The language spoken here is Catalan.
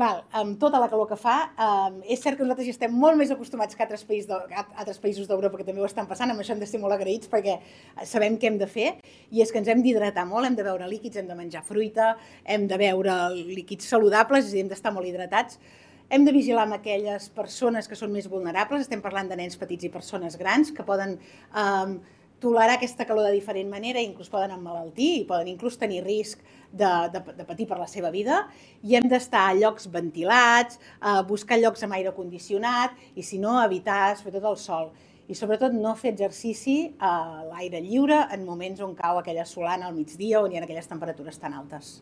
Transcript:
Amb tota la calor que fa, és cert que nosaltres ja estem molt més acostumats que altres països d'Europa que també ho estan passant, amb això hem de ser molt agraïts perquè sabem què hem de fer, i és que ens hem d'hidratar molt, hem de beure líquids, hem de menjar fruita, hem de beure líquids saludables, és a dir, hem d'estar molt hidratats. Hem de vigilar amb aquelles persones que són més vulnerables, estem parlant de nens petits i persones grans que poden tolerar aquesta calor de diferent manera i inclús poden emmalaltir i poden inclús tenir risc de patir per la seva vida, i hem d'estar a llocs ventilats, buscar llocs amb aire condicionat i, si no, evitar sobretot el sol. I sobretot no fer exercici a l'aire lliure en moments on cau aquella solana al migdia o on hi ha aquelles temperatures tan altes.